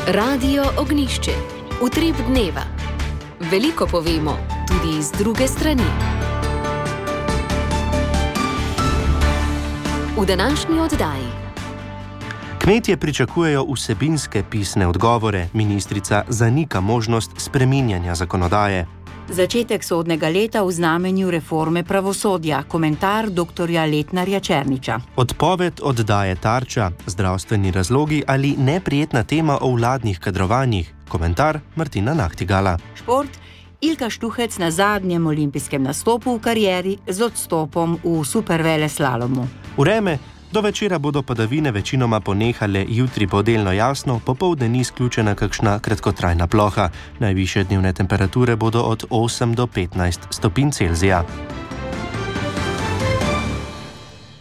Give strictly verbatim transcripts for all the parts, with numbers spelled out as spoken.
Radio Ognjišče. Utrip dneva. Veliko povemo, tudi iz druge strani. V današnji oddaji. Kmetje pričakujejo vsebinske pisne odgovore, ministrica zanika možnost spreminjanja zakonodaje. Začetek sodnega leta v znamenju reforme pravosodja, komentar doktorja Letnarja Černiča. Odpoved oddaje Tarča, zdravstveni razlogi ali neprijetna tema o vladnih kadrovanjih, komentar Martina Nahtigala. Šport, Ilka Štuhec na zadnjem olimpijskem nastopu v karieri z odstopom v superveleslalomu. Vreme. Do večera bodo padavine večinoma ponehale, jutri bo delno jasno, popoldne ni izključena kakšna kratkotrajna ploha. Najvišje dnevne temperature bodo od osem do petnajst stopinj Celzija.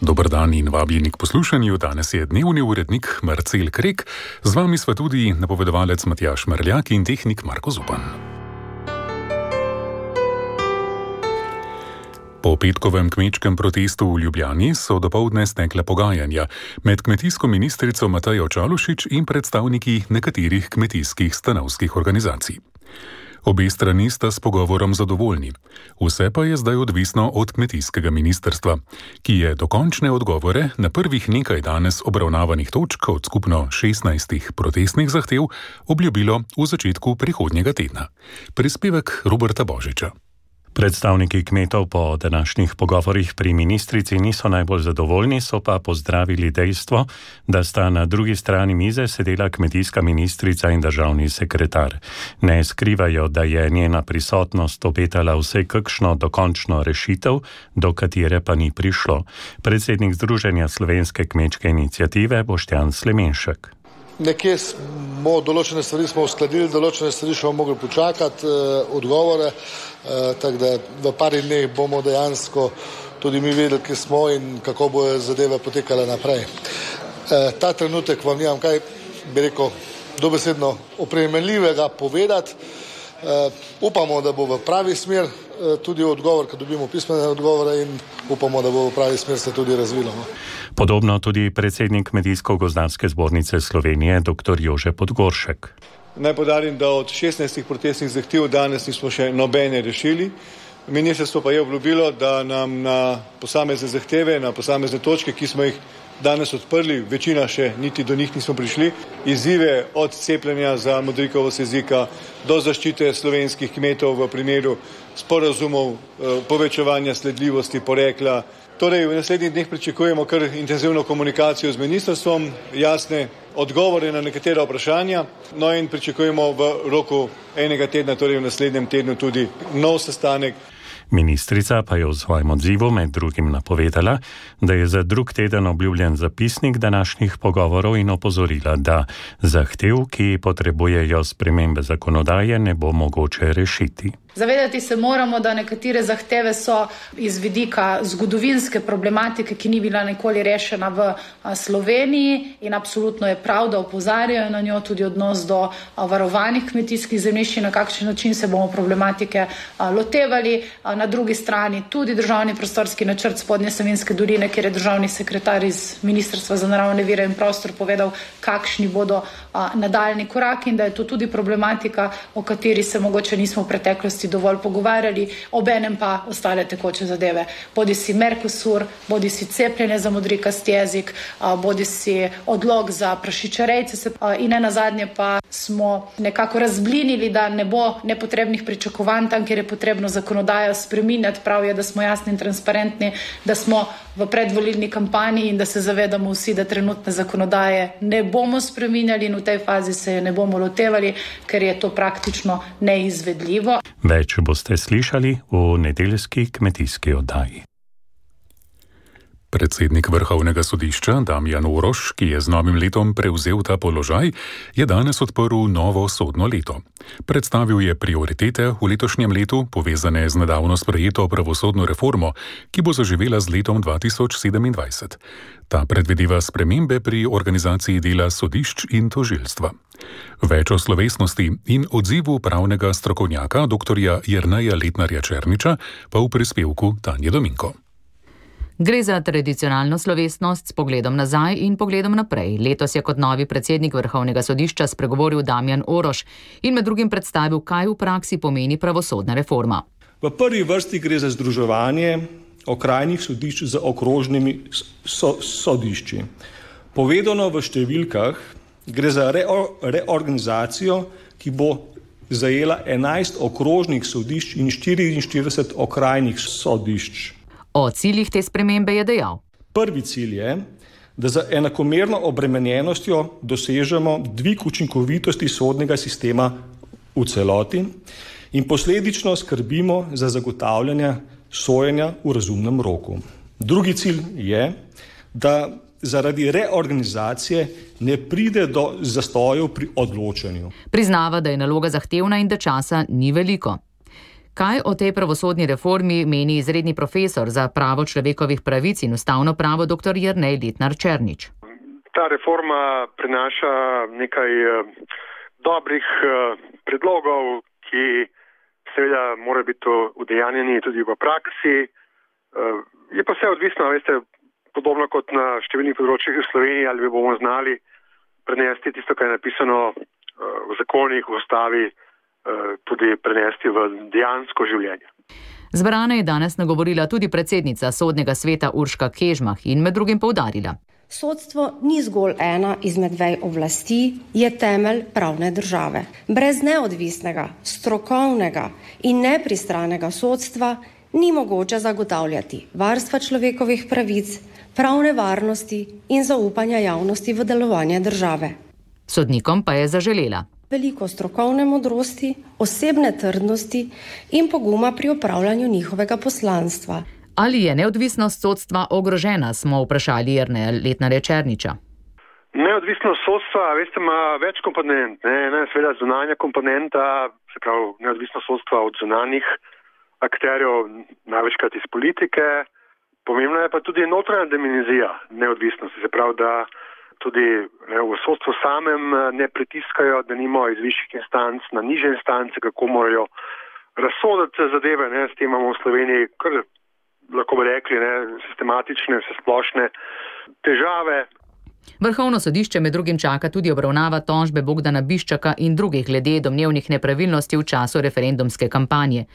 Dober dan in vabljeni k poslušanju. Danes je dnevni urednik Marcel Krek, z vami sva tudi napovedovalec Matjaž Merljak in tehnik Marko Zupan. Po petkovem kmečkem protestu v Ljubljani so dopoldne stekla pogajanja med kmetijsko ministrico Matejo Čalušić in predstavniki nekaterih kmetijskih stanovskih organizacij. Obe strani sta s pogovorom zadovoljni. Vse pa je zdaj odvisno od kmetijskega ministrstva, ki je dokončne odgovore na prvih nekaj danes obravnavanih točk od skupno šestnajstih protestnih zahtev obljubilo v začetku prihodnjega tedna. Prispevek Roberta Božiča. Predstavniki kmetov po današnjih pogovorih pri ministrici niso najbolj zadovoljni, so pa pozdravili dejstvo, da sta na drugi strani mize sedela kmetijska ministrica in državni sekretar. Ne skrivajo, da je njena prisotnost obetala vse kakšno dokončno rešitev, do katere pa ni prišlo. Predsednik Združenja slovenske kmečke iniciative Boštjan Slemenšek. Nekje smo določene stvari smo uskladili, določene stvari še bomo mogli počakati, eh, odgovore, eh, tako da v pari dneh bomo dejansko tudi mi vedeli, kje smo in kako bojo zadeve potekale naprej. Eh, ta trenutek vam nimam kaj, bi rekel, dobesedno opremeljivega povedati. Eh, upamo, da bo v pravi smer eh, tudi odgovor, ko dobimo pismene odgovore, in upamo, da bo v pravi smer se tudi razvilo. No. Podobno tudi predsednik Kmetijsko-gozdarske zbornice Slovenije, dr. Jože Podgoršek. Naj poudarim, da od šestnajstih protestnih zahtev danes nismo še nobene rešili. Ministrstvo pa je obljubilo, da nam na posamezne zahteve, na posamezne točke, ki smo jih danes odprli, večina še niti do njih nismo prišli, izzive od cepljenja za modrikovost jezika do zaščite slovenskih kmetov v primeru sporazumov, povečevanja sledljivosti porekla. Torej, v naslednjih dneh pričakujemo kar intenzivno komunikacijo z ministrstvom, jasne odgovore na nekatera vprašanja, no in pričakujemo v roku enega tedna, torej v naslednjem tednu tudi nov sestanek. Ministrica pa je v svojem odzivu med drugim napovedala, da je za drug teden obljubljen zapisnik današnjih pogovorov in opozorila, da zahtev, ki potrebujejo spremembe zakonodaje, ne bo mogoče rešiti. Zavedati se moramo, da nekatere zahteve so iz vidika zgodovinske problematike, ki ni bila nikoli rešena v Sloveniji, in absolutno je prav, da opozarjajo na njo, tudi odnos do varovanih kmetijskih zemljišč, na kakšen način se bomo problematike lotevali. Na drugi strani tudi državni prostorski načrt Spodnje Savinjske doline, kjer je državni sekretar iz Ministrstva za naravne vire in prostor povedal, kakšni bodo nadaljni koraki, in da je to tudi problematika, o kateri se mogoče nismo v preteklosti dovolj pogovarjali, obenem pa ostale tekoče zadeve. Bodi si Mercosur, bodi si cepljenje za modrikast jezik, bodi si odlog za prašičerejce, in ne nazadnje pa smo nekako razblinili, da ne bo nepotrebnih pričakovanj tam, kjer je potrebno zakonodajo spreminjati. Prav je, da smo jasni in transparentni, da smo v predvolilni kampanji in da se zavedamo vsi, da trenutne zakonodaje ne bomo spreminjali in v tej fazi se je ne bomo lotevali, ker je to praktično neizvedljivo. Več boste slišali v nedeljski kmetijski oddaji. Predsednik Vrhovnega sodišča Damjan Orož, ki je z novim letom prevzel ta položaj, je danes odprl novo sodno leto. Predstavil je prioritete v letošnjem letu, povezane z nedavno sprejeto pravosodno reformo, ki bo zaživela z letom dva tisoč sedemindvajset. Ta predvideva spremembe pri organizaciji dela sodišč in tožilstva. Več o slovesnosti in odzivu pravnega strokovnjaka doktorja Jerneja Letnarja Černiča pa v prispevku Tanje Dominko. Gre za tradicionalno slovesnost s pogledom nazaj in pogledom naprej. Letos je kot novi predsednik Vrhovnega sodišča spregovoril Damjan Oroš in med drugim predstavil, kaj v praksi pomeni pravosodna reforma. V prvi vrsti gre za združevanje okrajnih sodišč z okrožnimi so, sodišči. Povedano v številkah, gre za reo, reorganizacijo, ki bo zajela enajst okrožnih sodišč in štiriinštirideset okrajnih sodišč. O ciljih te spremembe je dejal. Prvi cilj je, da za enakomerno obremenjenostjo dosežemo dvig učinkovitosti sodnega sistema v celoti in posledično skrbimo za zagotavljanje sojenja v razumnem roku. Drugi cilj je, da zaradi reorganizacije ne pride do zastojev pri odločanju. Priznava, da je naloga zahtevna in da časa ni veliko. Kaj o tej pravosodni reformi meni izredni profesor za pravo človekovih pravic in ustavno pravo dr. Jernej Letnar Černič? Ta reforma prinaša nekaj dobrih predlogov, ki seveda mora biti udejanjeni tudi v praksi. Je pa vse odvisno, veste, podobno kot na številnih področjih v Sloveniji, ali bomo znali prenesti tisto, kar je napisano v zakonih, v ustavi, tudi prenesti v dejansko življenje. Zbrane je danes nagovorila tudi predsednica Sodnega sveta Urška Kežmah in med drugim poudarila. Sodstvo ni zgolj ena izmed vej oblasti, je temelj pravne države. Brez neodvisnega, strokovnega in nepristranega sodstva ni mogoče zagotavljati varstva človekovih pravic, pravne varnosti in zaupanja javnosti v delovanje države. Sodnikom pa je zaželela veliko strokovne modrosti, osebne trdnosti in poguma pri opravljanju njihovega poslanstva. Ali je neodvisnost sodstva ogrožena, smo vprašali Jerneja Letnarja Černiča. Neodvisnost sodstva, veste, ima več komponent. Ne? Ena je seveda zunanja komponenta, se pravi neodvisnost sodstva od zunanjih akterjev, največkrat iz politike. Pomembna je pa tudi notranja dimenzija neodvisnosti, se pravi, da tudi ne, v sodstvu samem ne pritiskajo, da nimo iz višjih instanc na nižje instance, kako morajo razsoditi zadeve. Ne, s tem imamo v Sloveniji, kar lahko bi rekli, ne, sistematične, vsesplošne težave. Vrhovno sodišče med drugim čaka tudi obravnava tožbe Bogdana Biščaka in drugih glede domnevnih nepravilnosti v času referendumske kampanje.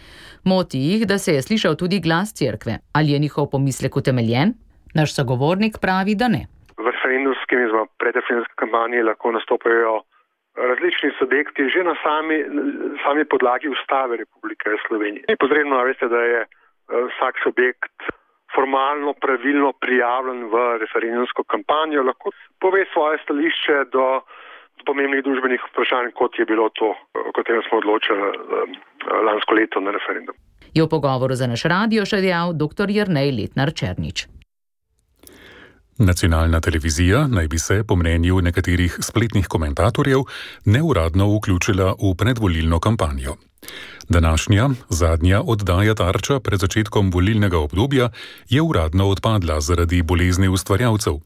Moti jih, da se je slišal tudi glas cerkve. Ali je njihov pomislek utemeljen? Naš sogovornik pravi, da ne. V referendumskem in predreferendumske kampanje lahko nastopajo različni subjekti že na sami, sami podlagi Ustave Republike Slovenije. Ni potrebno, veste, da je vsak subjekt formalno, pravilno prijavljen v referendumsko kampanjo, lahko pove svoje stališče do, do pomembnih družbenih vprašanj, kot je bilo to, o katerem smo odločili lansko leto na referendum. Je v pogovoru za naš radio še dejal dr. Jernej Letnar Černič. Nacionalna televizija naj bi se, po mnenju nekaterih spletnih komentatorjev, neuradno vključila v predvolilno kampanjo. Današnja, zadnja oddaja Tarča pred začetkom volilnega obdobja je uradno odpadla zaradi bolezni ustvarjalcev.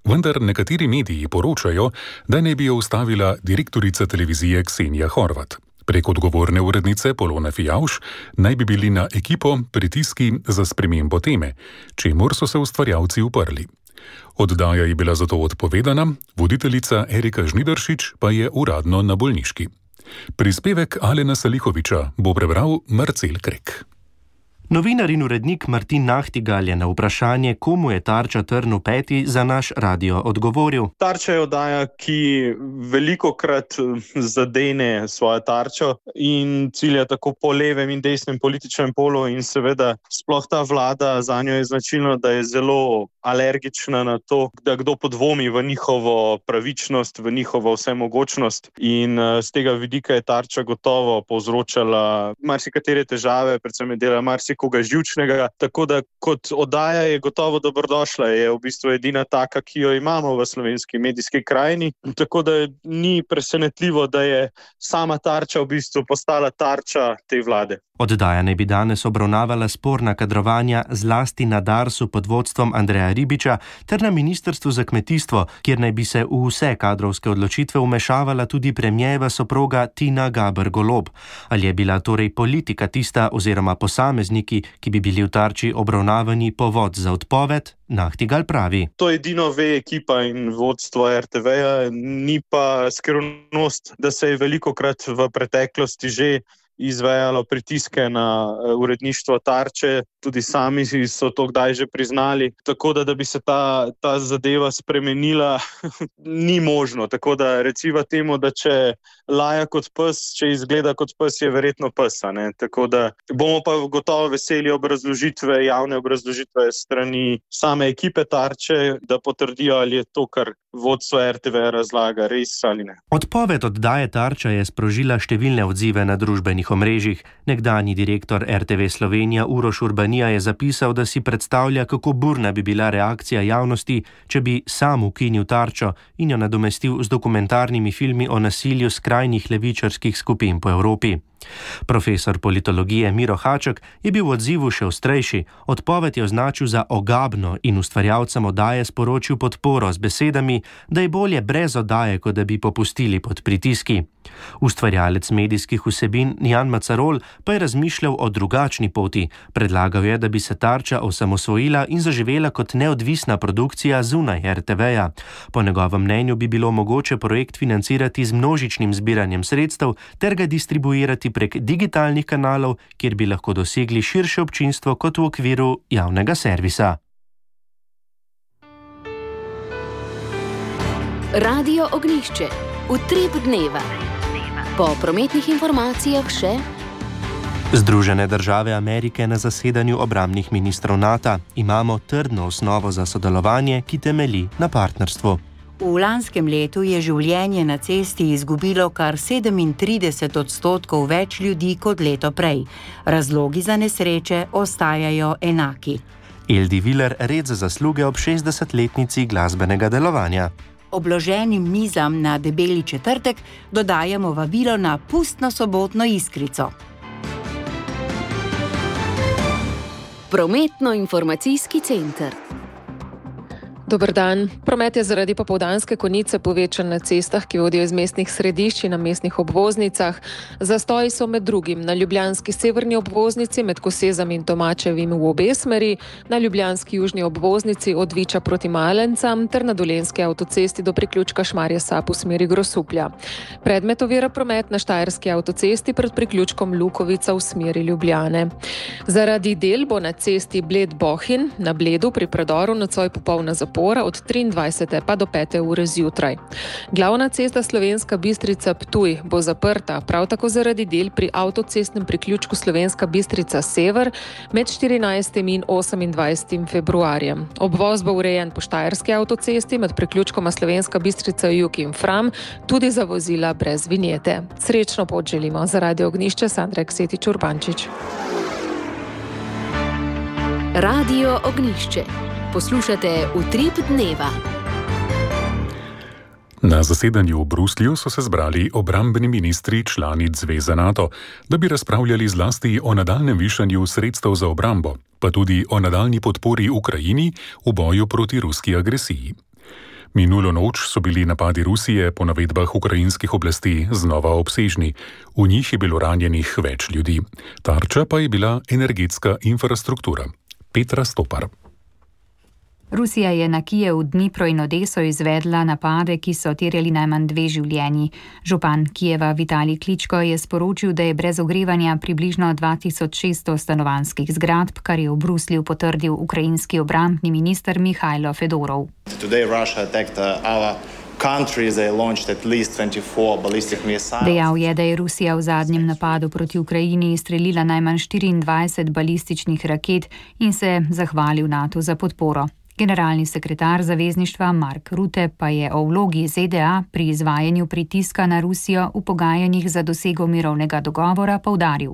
Vendar nekateri mediji poročajo, da ne bi jo ustavila direktorica televizije Ksenija Horvat. Prek odgovorne urednice Polone Fijavš naj bi bili na ekipo pritiski za spremembo teme, čemur so se ustvarjalci uprli. Oddaja je bila zato odpovedana, voditeljica Erika Žnidaršič pa je uradno na bolniški. Prispevek Alena Salihoviča bo prebral Marcel Krek. Novinar in urednik Martin Nahtigal je na vprašanje, komu je Tarča trn v peti, za naš radio odgovoril. Tarča je oddaja, ki velikokrat zadene svojo tarčo in cilja tako po levem in desnem političnem polu in seveda sploh ta vlada, zanjo je značilno, da je zelo alergična na to, da kdo podvomi v njihovo pravičnost, v njihovo vsemogočnost in z tega vidika je Tarča gotovo povzročala marsikatere težave, predvsem je delala marsikatere koga živčnega, tako da kot oddaja je gotovo dobrodošla, je v bistvu edina taka, ki jo imamo v slovenski medijski krajini, tako da ni presenetljivo, da je sama Tarča v bistvu postala tarča te vlade. Oddaja naj bi danes obravnavala sporna kadrovanja zlasti na Darsu pod vodstvom Andreja Ribiča ter na Ministrstvu za kmetijstvo, kjer naj bi se v vse kadrovske odločitve vmešavala tudi premierjeva soproga Tina Gaber Golob. Ali je bila torej politika tista oziroma posamezniki, ki bi bili v Tarči obravnavani povod za odpoved? Nahtigal pravi. To edino ve ekipa in vodstvo er te veja, ni pa skrivnost, da se je velikokrat v preteklosti že izvajalo pritiske na uredništvo Tarče, tudi sami so to kdaj že priznali, tako da, da bi se ta, ta zadeva spremenila, ni možno. Tako da reciva temu, da če laja kot pes, če izgleda kot pes, je verjetno pes. Ne? Tako da bomo pa gotovo veseli obrazložitve, javne obrazložitve strani same ekipe Tarče, da potrdijo, ali je to, kar vodstvo er te ve razlaga, res ali ne. Odpoved oddaje Tarča je sprožila številne odzive na družbenih omrežjih. Nekdanji direktor er te ve Slovenija Uroš Urbanija je zapisal, da si predstavlja, kako burna bi bila reakcija javnosti, če bi sam ukinil Tarčo in jo nadomestil z dokumentarnimi filmi o nasilju skrajnih levičarskih skupin po Evropi. Profesor politologije Miro Haček je bil v odzivu še ostrejši. Odpoved je označil za ogabno in ustvarjalcem oddaje sporočil podporo z besedami, da je bolje brez oddaje, kot da bi popustili pod pritiski. Ustvarjalec medijskih vsebin Jan Macarol pa je razmišljal o drugačni poti. Predlagal je, da bi se Tarča osamosvojila in zaživela kot neodvisna produkcija zunaj er te veja. Po njegovem mnenju bi bilo mogoče projekt financirati z množičnim zbiranjem sredstev ter ga distribuirati prek digitalnih kanalov, kjer bi lahko dosegli širše občinstvo kot v okviru javnega servisa. Radio Ognjišče. Utrip dneva. Po prometnih informacijah še Združene države Amerike na zasedanju obrambnih ministrov NATO. Imamo trdno osnovo za sodelovanje, ki temelji na partnerstvu. V lanskem letu je življenje na cesti izgubilo kar sedemintrideset odstotkov več ljudi kot leto prej. Razlogi za nesreče ostajajo enaki. Eldi Viler red za zasluge ob šestdesetletnici glasbenega delovanja. Obloženim mizam na debeli četrtek dodajamo vabilo na pustno sobotno iskrico. Prometno-informacijski center. Dober dan. Promet je zaradi popoldanske konice povečan na cestah, ki vodijo iz mestnih središč in na mestnih obvoznicah. Zastoji so med drugim na ljubljanski severni obvoznici med Kosezami in Tomačevim v obe smeri, na ljubljanski južni obvoznici od Viča proti Malencam ter na dolenski avtocesti do priključka Šmarje Sap v smeri Grosuplja. Predmet ovira promet na štajerski avtocesti pred priključkom Lukovica v smeri Ljubljane. Zaradi del bo na cesti Bled-Bohinj na Bledu pri predoru nocoj popolna zapora od triindvajsete pa do pete ure zjutraj. Glavna cesta Slovenska Bistrica-Ptuj bo zaprta, prav tako zaradi del pri avtocestnem priključku Slovenska Bistrica-Sever med štirinajstim in osemindvajsetim februarjem. Obvoz bo urejen po štajerski avtocesti med priključkoma Slovenska Bistrica-Jug in Fram, tudi za vozila brez vinjete. Srečno pot želimo. Za Radio Ognjišče Sandra Ksetič Urbančič. Radio Ognjišče. Poslušate Utrip dneva. Na zasedanju v Bruslju so se zbrali obrambni ministri članic Zveze NATO, da bi razpravljali zlasti o nadaljnjem višanju sredstev za obrambo, pa tudi o nadaljnji podpori Ukrajini v boju proti ruski agresiji. Minulo noč so bili napadi Rusije po navedbah ukrajinskih oblasti znova obsežni. V njih je bilo ranjenih več ljudi. Tarča pa je bila energetska infrastruktura. Petra Stopar. Rusija je na Kijev, Dnipro in Odeso izvedla napade, ki so terjali najmanj dve življenji. Župan Kijeva Vitalij Kličko je sporočil, da je brez ogrevanja približno dva tisoč šeststo stanovanjskih zgradb, kar je v Bruslju potrdil ukrajinski obrambni minister Mihajlo Fedorov. Dejal je, da je Rusija v zadnjem napadu proti Ukrajini izstrelila najmanj štiriindvajset balističnih raket in se zahvalil NATO za podporo. Generalni sekretar zavezništva Mark Rutte pa je o vlogi Z D A pri izvajanju pritiska na Rusijo v pogajanjih za dosego mirovnega dogovora poudaril.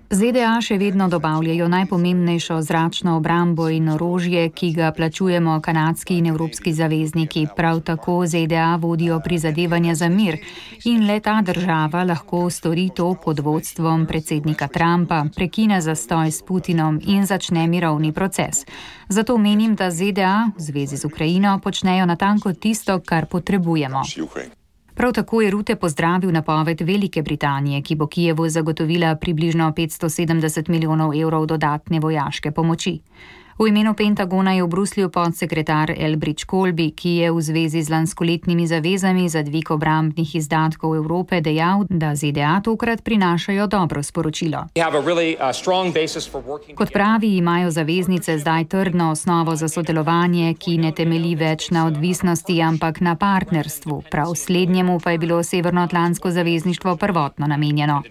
Z D A še vedno dobavljajo najpomembnejšo zračno obrambo in orožje, ki ga plačujemo kanadski in evropski zavezniki. Prav tako Z D A vodijo prizadevanja za mir in le ta država lahko stori to pod vodstvom predsednika Trumpa, prekine zastoj s Putinom in začne mirovni proces. Zato menim, da Z D A v zvezi z Ukrajino počnejo natanko tisto, kar potrebujemo. Prav tako je Rutte pozdravil napoved Velike Britanije, ki bo Kijevu zagotovila približno petsto sedemdeset milijonov evrov dodatne vojaške pomoči. V imenu Pentagona je v Bruslju podsekretar Elbridge Colby, ki je v zvezi z lanskoletnimi zavezami za dvig obrambnih izdatkov Evrope dejal, da Z D A tokrat prinašajo dobro sporočilo. Kot pravi, imajo zaveznice zdaj trdno osnovo za sodelovanje, ki ne temelji več na odvisnosti, ampak na partnerstvu. Prav slednjemu pa je bilo Severnoatlantsko zavezništvo prvotno namenjeno.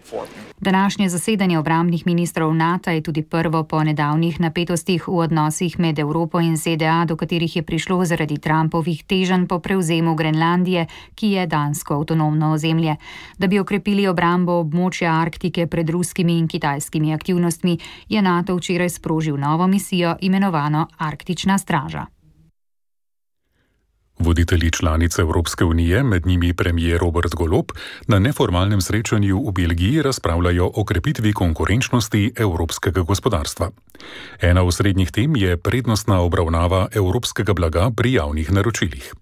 Današnje zasedanje obrambnih ministrov NATO je tudi prvo po nedavnih napetostih v odnosih med Evropo in Z D A, do katerih je prišlo zaradi Trumpovih teženj po prevzemu Grenlandije, ki je dansko avtonomno ozemlje. Da bi okrepili obrambo območja Arktike pred ruskimi in kitajskimi aktivnostmi, je NATO včeraj sprožil novo misijo, imenovano Arktična straža. Voditelji članice Evropske unije, med njimi premijer Robert Golob, na neformalnem srečanju v Belgiji razpravljajo o krepitvi konkurenčnosti evropskega gospodarstva. Ena osrednjih tem je prednostna obravnava evropskega blaga pri javnih naročilih.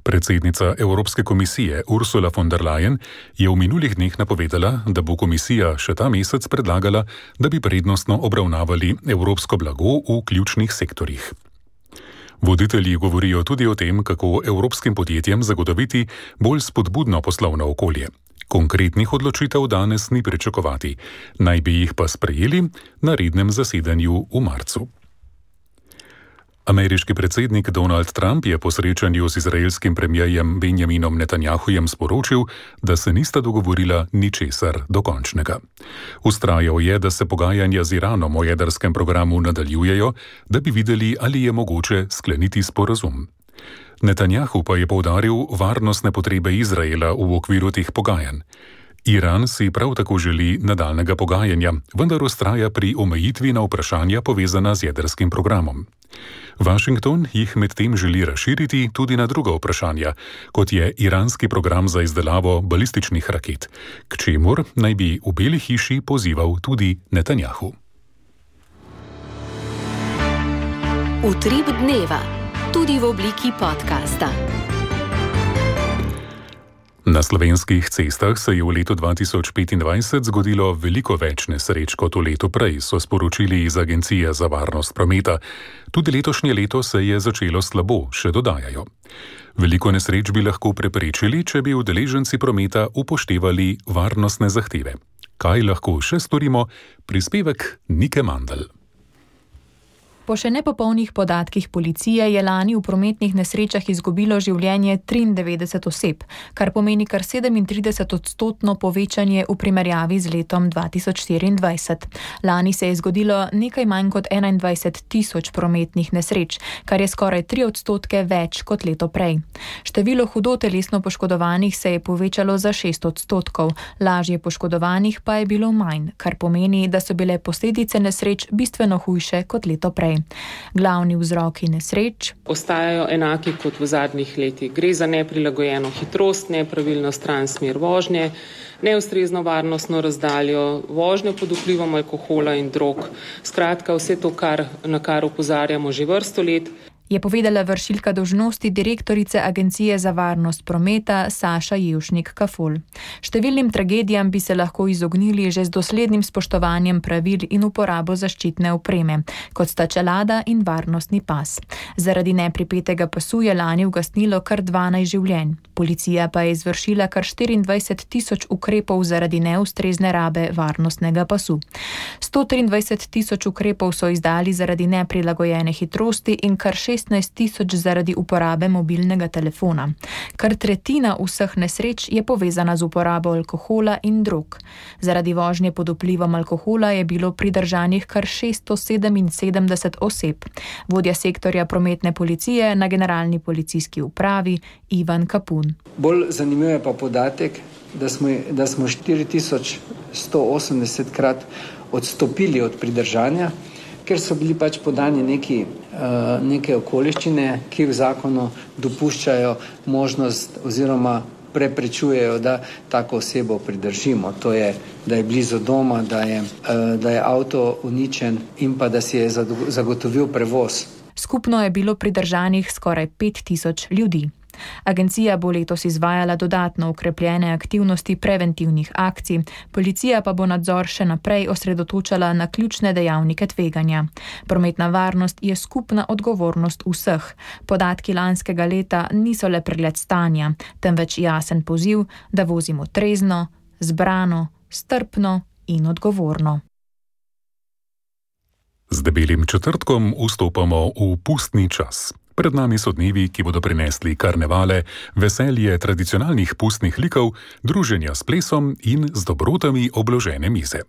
Predsednica Evropske komisije Ursula von der Leyen je v minulih dneh napovedala, da bo komisija še ta mesec predlagala, da bi prednostno obravnavali evropsko blago v ključnih sektorjih. Voditelji govorijo tudi o tem, kako evropskim podjetjem zagotoviti bolj spodbudno poslovno okolje. Konkretnih odločitev danes ni pričakovati, naj bi jih pa sprejeli na rednem zasedanju v marcu. Ameriški predsednik Donald Trump je po srečanju z izraelskim premierjem Benjaminom Netanjahujem sporočil, da se nista dogovorila ničesar dokončnega. Vztrajal je, da se pogajanja z Iranom o jedrskem programu nadaljujejo, da bi videli, ali je mogoče skleniti sporazum. Netanjahu pa je poudaril varnostne potrebe Izraela v okviru teh pogajanj. Iran si prav tako želi nadaljnega pogajanja, vendar vztraja pri omejitvi na vprašanja povezana z jedrskim programom. Washington jih medtem želi razširiti tudi na druga vprašanja, kot je iranski program za izdelavo balističnih raket, k čemur naj bi v Beli hiši pozival tudi Netanjahu. Utrip dneva, tudi v obliki podcasta. Na slovenskih cestah se je v letu dva tisoč petindvajset zgodilo veliko več nesreč kot v letu prej, so sporočili iz Agencije za varnost prometa. Tudi letošnje leto se je začelo slabo, še dodajajo. Veliko nesreč bi lahko preprečili, če bi udeleženci prometa upoštevali varnostne zahteve. Kaj lahko še storimo? Prispevek Nike Mandl. Po še nepopolnih podatkih policije je lani v prometnih nesrečah izgubilo življenje triindevetdeset oseb, kar pomeni kar sedemintrideset odstotno povečanje v primerjavi z letom dva tisoč štiriindvajset. Lani se je zgodilo nekaj manj kot enaindvajset tisoč prometnih nesreč, kar je skoraj tri odstotke več kot leto prej. Število hudo telesno poškodovanih se je povečalo za šest odstotkov, lažje poškodovanih pa je bilo manj, kar pomeni, da so bile posledice nesreč bistveno hujše kot leto prej. Glavni vzroki nesreč ostajajo enaki kot v zadnjih letih. Gre za neprilagojeno hitrost, nepravilno stran smer vožnje, neustrezno varnostno razdaljo, vožnjo pod vplivom alkohola in drog. Skratka, vse to, kar, na kar opozarjamo že vrsto let. Je povedala vršilka dolžnosti direktorice Agencije za varnost prometa Saša Jevšnik-Kafol. Številnim tragedijam bi se lahko izognili že z doslednim spoštovanjem pravil in uporabo zaščitne opreme, kot sta čelada in varnostni pas. Zaradi nepripetega pasu je lani ugasnilo kar dvanajst življenj. Policija pa je izvršila kar štiriindvajset tisoč ukrepov zaradi neustrezne rabe varnostnega pasu. sto triindvajset tisoč ukrepov so izdali zaradi neprilagojene hitrosti in kar šest šestnajst tisoč zaradi uporabe mobilnega telefona. Kar tretjina vseh nesreč je povezana z uporabo alkohola in drog. Zaradi vožnje pod vplivom alkohola je bilo pridržanih kar šeststo sedeminsedemdeset oseb. Vodja sektorja prometne policije na Generalni policijski upravi Ivan Kapun. Bolj zanimiv je pa podatek, da smo, da smo štiri tisoč sto osemdeset krat odstopili od pridržanja, ker so bili pač podani neki, uh, neke okoliščine, ki v zakonu dopuščajo možnost oziroma preprečujejo, da tako osebo pridržimo. To je, da je blizu doma, da je, uh, da je avto uničen in pa da si je zagotovil prevoz. Skupno je bilo pridržanih skoraj pet tisoč ljudi. Agencija bo letos izvajala dodatno ukrepljene aktivnosti preventivnih akcij, policija pa bo nadzor še naprej osredotočala na ključne dejavnike tveganja. Prometna varnost je skupna odgovornost vseh. Podatki lanskega leta niso le pregled stanja, temveč jasen poziv, da vozimo trezno, zbrano, strpno in odgovorno. Z debelim četrtkom vstopamo v pustni čas. Pred nami so dnevi, ki bodo prinesli karnevale, veselje tradicionalnih pustnih likov, druženja s plesom in z dobrotami obložene mize.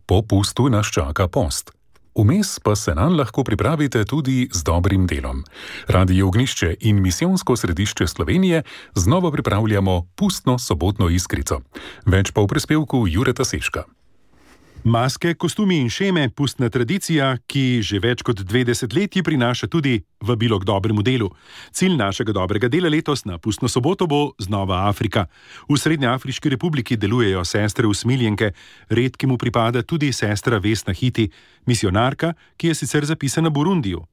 Po pustu nas čaka post. Vmes pa se nanj lahko pripravite tudi z dobrim delom. Radio Ognjišče in Misijonsko središče Slovenije znova pripravljamo pustno sobotno iskrico. Več pa v prispevku Jureta Seška. Maske, kostumi in šeme, pustna tradicija, ki že več kot dve desetletji prinaša tudi vabilo k dobremu delu. Cilj našega dobrega dela letos na pustno soboto bo znova Afrika. V Srednjeafriški republiki delujejo sestre usmiljenke, redkemu pripada tudi sestra Vesna Hiti, misionarka, ki je sicer zapisana v Burundiju.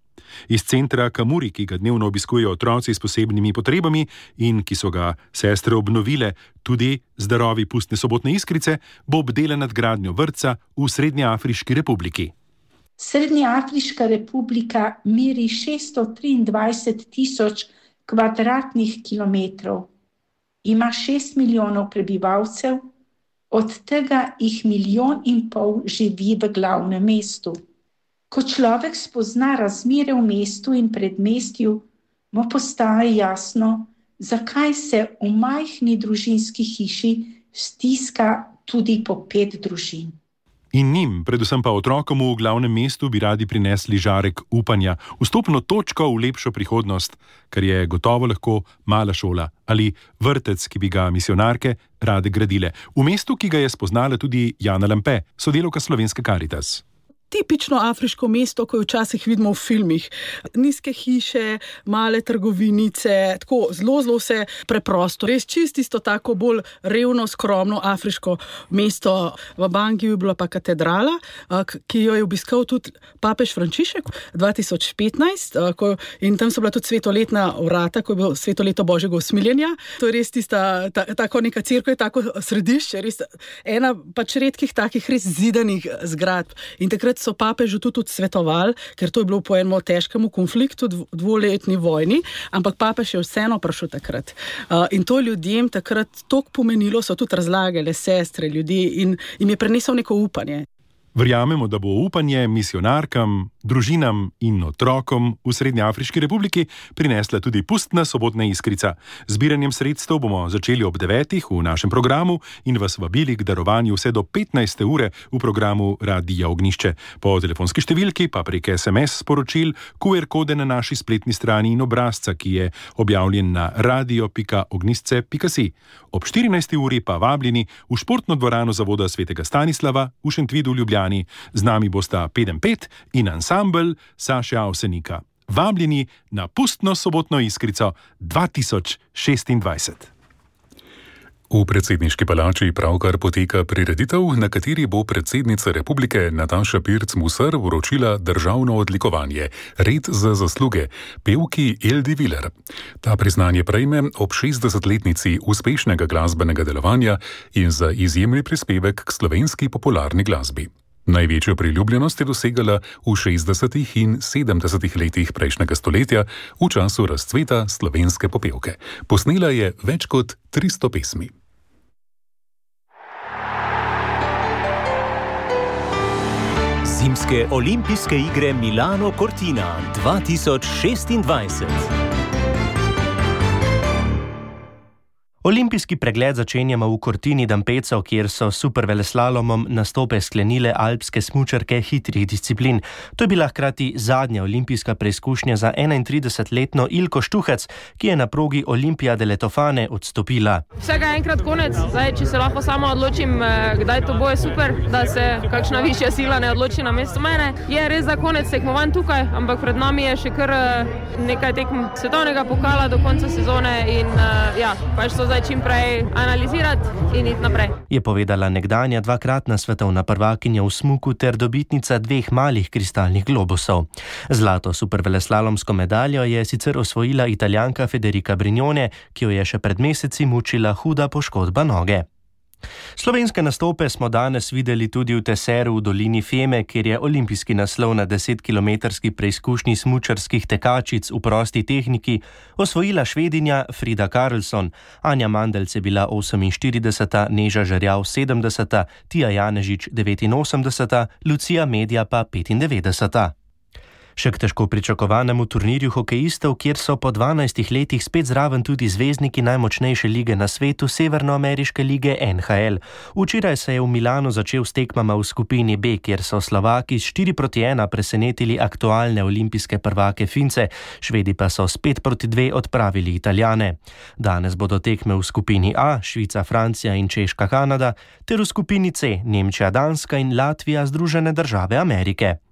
Iz centra Kamuri, ki ga dnevno obiskujejo otroci s posebnimi potrebami in ki so ga sestre obnovile tudi z darovi pustne sobotne iskrice, bo obdela nadgradnjo vrtca v Srednjeafriški republiki. Srednjeafriška republika meri šeststo triindvajset tisoč kvadratnih kilometrov. Ima šest milijonov prebivalcev, od tega jih milijon in pol živi v glavnem mestu. Ko človek spozna razmere v mestu in predmestju, mu postaje jasno, zakaj se v majhni družinski hiši stiska tudi po pet družin. In njim, predvsem pa otrokom v glavnem mestu, bi radi prinesli žarek upanja, vstopno točko v lepšo prihodnost, kar je gotovo lahko mala šola ali vrtec, ki bi ga misionarke rade gradile. V mestu, ki ga je spoznala tudi Jana Lampe, sodelavka Slovenske Karitas. Tipično afriško mesto, ko jo včasih vidimo v filmih. Nizke hiše, male trgovinice, tako zelo, zelo vse preprosto. Res čisto isto tako bolj revno, skromno afriško mesto. V Bangiju je bila pa katedrala, ki jo je obiskal tudi papež Frančišek dva tisoč petnajst in tam so bila tudi svetoletna vrata, ko je bilo svetoleto Božjega usmiljenja. To je res tista, ta, tako neka cerkev, tako središče, res ena pač redkih takih res zidanih zgradb. In takrat so papežu tudi svetovali, ker to je bilo po enem težkem konfliktu, dvoletni vojni, ampak papež je vseeno prišel takrat. Uh, in to ljudem takrat toliko pomenilo, so tudi razlagale sestre, ljudi in jim je prenesel neko upanje. Verjamemo, da bo upanje misionarkam, družinam in otrokom v Srednjeafriški republiki prinesla tudi pustna sobotna iskrica. Zbiranjem sredstev bomo začeli ob devetih v našem programu in vas vabili k darovanju vse do petnajste ure v programu Radia Ognjišče. Po telefonski številki pa prek es em es sporočil, ku er kode na naši spletni strani in obrazca, ki je objavljen na radio pika ognjišče pika si. Ob štirinajsti uri pa vabljeni v športno dvorano Zavoda svetega Stanislava v Šentvidu v Ljubljani. Z nami bosta Pedem pet in ansambel Saše Avsenika. Vabljeni na pustno sobotno iskrico dva tisoč šestindvajset. V predsedniški palači pravkar poteka prireditev, na kateri bo predsednica republike Nataša Pirc Musar vročila državno odlikovanje Red za zasluge pevki Eldi Viler. Ta priznanje prejme ob šestdesetletnici uspešnega glasbenega delovanja in za izjemni prispevek k slovenski popularni glasbi. Največjo priljubljenost je dosegala v šestdesetih in sedemdesetih letih prejšnjega stoletja v času razcveta slovenske popevke. Posnela je več kot tristo pesmi. Zimske olimpijske igre Milano Cortina dva tisoč šestindvajset. Olimpijski pregled začenjamo v Cortini d'Ampezzo, kjer so s superveleslalomom nastope sklenile alpske smučarke hitrih disciplin. To je bila hkrati zadnja olimpijska preizkušnja za enaintridesetletno Ilko Štuhec, ki je na progi Olimpijade Letofane odstopila. Vsega enkrat konec, zdaj, če se lahko sama odločim, kdaj to bo, je super, da se kakšna višja sila ne odloči na mesto mene. Je res za konec tekmovanj tukaj, ampak pred nami je še kar nekaj tekm svetovnega pokala do konca sezone in ja, pač so zdaj čim prej analizirati in iti naprej. Je povedala nekdanja dvakratna svetovna prvakinja v smuku ter dobitnica dveh malih kristalnih globusov. Zlato superveleslalomsko medaljo je sicer osvojila Italijanka Federica Brignone, ki jo je še pred meseci mučila huda poškodba noge. Slovenske nastope smo danes videli tudi v Teseru v dolini Feme, kjer je olimpijski naslov na desetkilometrski preizkušnji smučarskih tekačic v prosti tehniki osvojila Švedinja Frida Karlsson. Anja Mandelc je bila oseminštirideseta, Neža Žerjav sedemdeseta, Tija Janežič devetinosemdeseta, Lucija Medja pa petindevetdeseta. Še k težko pričakovanemu turnirju hokejistov, kjer so po dvanajstih letih spet zraven tudi zvezdniki najmočnejše lige na svetu, severnoameriške lige N H L. Včeraj se je v Milanu začel s tekmama v skupini B, kjer so Slovaki s štiri proti ena presenetili aktualne olimpijske prvake Fince, Švedi pa so s pet proti dve odpravili Italijane. Danes bodo tekme v skupini A, Švica, Francija in Češka, Kanada, ter v skupini C, Nemčija, Danska in Latvija, Združene države Amerike.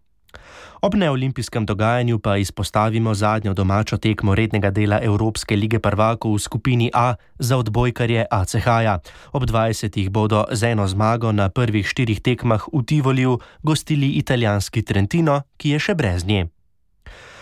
Ob neolimpijskem dogajanju pa izpostavimo zadnjo domačo tekmo rednega dela Evropske lige prvakov v skupini A za odbojkarje A C H-ja. Ob dvajsetih bodo z eno zmago na prvih štirih tekmah v Tivoliju gostili italijanski Trentino, ki je še brez nje.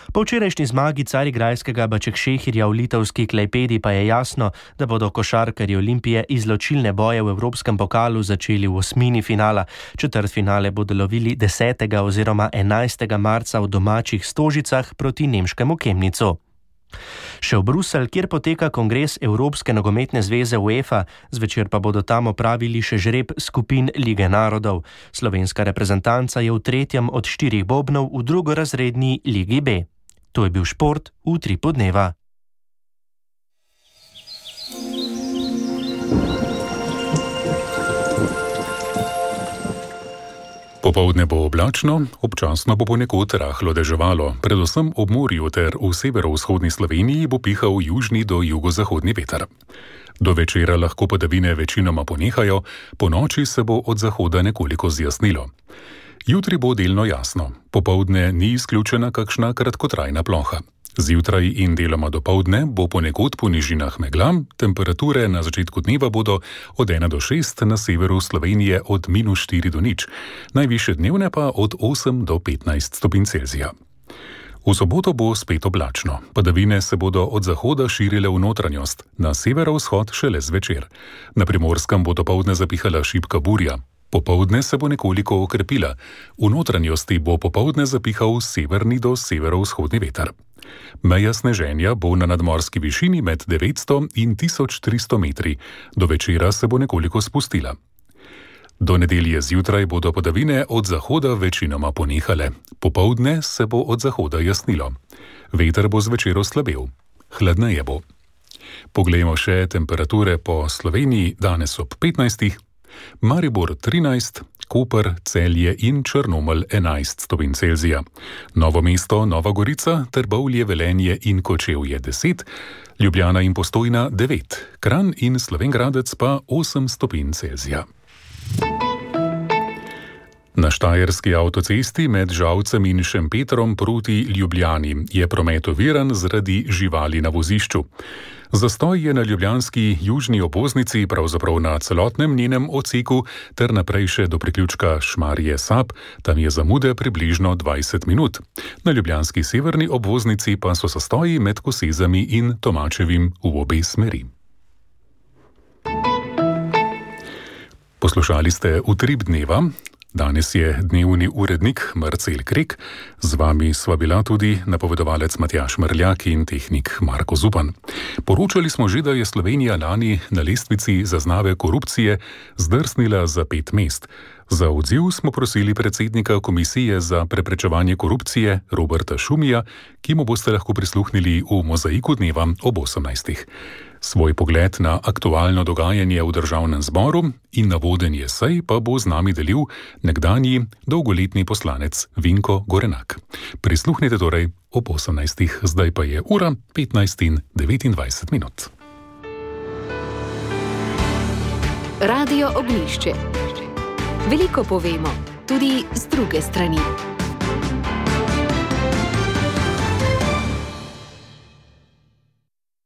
Po včerajšnji zmagi carigrajskega Bačekšehirja v litovski Klajpedi pa je jasno, da bodo košarkarji Olimpije izločilne boje v Evropskem pokalu začeli v osmini finala. Četrtfinale bodo lovili desetega oziroma enajstega marca v domačih Stožicah proti nemškemu Kemnicu. Še v Bruselj, kjer poteka kongres Evropske nogometne zveze UEFA, zvečer pa bodo tam opravili še žreb skupin Lige narodov. Slovenska reprezentanca je v tretjem od štirih bobnov v drugorazredni Ligi B. To je bil šport v Utripu dneva. Popoldne bo oblačno, občasno bo ponekod rahlo deževalo, predvsem ob morju ter v severovzhodni Sloveniji bo pihal južni do jugozahodni veter. Do večera lahko padavine večinoma ponehajo, po noči se bo od zahoda nekoliko zjasnilo. Jutri bo delno jasno, popoldne ni izključena kakšna kratkotrajna ploha. Zjutraj in deloma dopoldne bo ponekod po nižinah megla, temperature na začetku dneva bodo od ena do šest, na severu Slovenije od minus štiri do nič, najvišje dnevne pa od osem do petnajst stopinj Celzija. V soboto bo spet oblačno, padavine se bodo od zahoda širile v notranjost, na severovzhod šele zvečer. Na Primorskem bo dopoldne zapihala šibka burja. Popoldne se bo nekoliko okrepila, v notranjosti bo popoldne zapihal severni do severovzhodni veter. Meja sneženja bo na nadmorski višini med devetsto in tisoč tristo metri, do večera se bo nekoliko spustila. Do nedelje zjutraj bodo padavine od zahoda večinoma ponehale, popoldne se bo od zahoda jasnilo. Veter bo zvečer oslabel, hladneje bo. Poglejmo še temperature po Sloveniji danes ob petnajstih. Maribor trinajst, Koper, Celje in Črnomelj enajst stopinj Celzija. Novo mesto, Nova Gorica, Trbovlje, Velenje in Kočevje deset, Ljubljana in Postojna devet, Kranj in Slovenj Gradec pa osem stopinj Celzija. Na štajerski avtocesti med Žalcem in Šempetrom proti Ljubljani je promet oviran zaradi živali na vozišču. Zastoj je na ljubljanski južni obvoznici, pravzaprav na celotnem njenem odseku, ter naprej še do priključka Šmarje-Sap, tam je zamude približno dvajset minut. Na ljubljanski severni obvoznici pa so zastoji med Kosezami in Tomačevim v obe smeri. Poslušali ste Utrip dneva. Danes je dnevni urednik Marcel Krek, z vami sva bila tudi napovedovalec Matjaž Mrljak in tehnik Marko Zupan. Poročali smo že, da je Slovenija lani na lestvici zaznave korupcije zdrsnila za pet mest. Za odziv smo prosili predsednika Komisije za preprečevanje korupcije Roberta Šumija, ki mu boste lahko prisluhnili v Mozaiku dneva ob osemnajstih. Svoj pogled na aktualno dogajanje v državnem zboru in na vodenje sej pa bo z nami delil nekdanji dolgoletni poslanec Vinko Gorenak. Prisluhnite torej ob osemnajstih, zdaj pa je ura petnajst in devetindvajset minut. Radio Ognjišče. Veliko povemo, tudi z druge strani.